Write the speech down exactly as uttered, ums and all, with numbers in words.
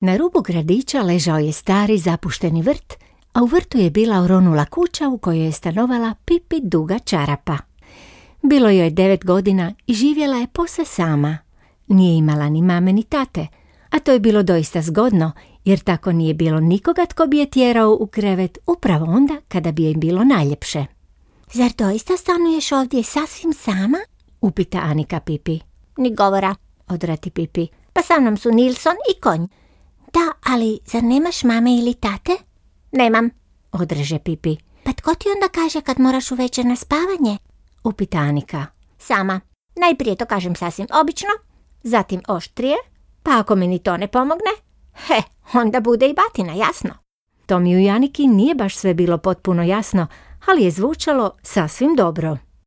Na rubu gradića ležao je stari zapušteni vrt, a u vrtu je bila oronula kuća u kojoj je stanovala Pipi duga čarapa. Bilo joj je devet godina i živjela je posve sama. Nije imala ni mame ni tate, a to je bilo doista zgodno, jer tako nije bilo nikoga tko bi je tjerao u krevet upravo onda kada bi joj bilo najljepše. Zar doista stanuješ ovdje sasvim sama? Upita Anika Pipi. Ni govora, odrati Pipi. Pa sa mnom su Nilson i konj. Da, ali zar nemaš mame ili tate? Nemam, odreže Pipi. Pa tko ti onda kaže kad moraš uvečer na spavanje? Upita Anika. Sama. Najprije to kažem sasvim obično, zatim oštrije, pa ako mi ni to ne pomogne, he, onda bude i batina, jasno. Tomiju i Aniki nije baš sve bilo potpuno jasno, ali je zvučalo sasvim dobro.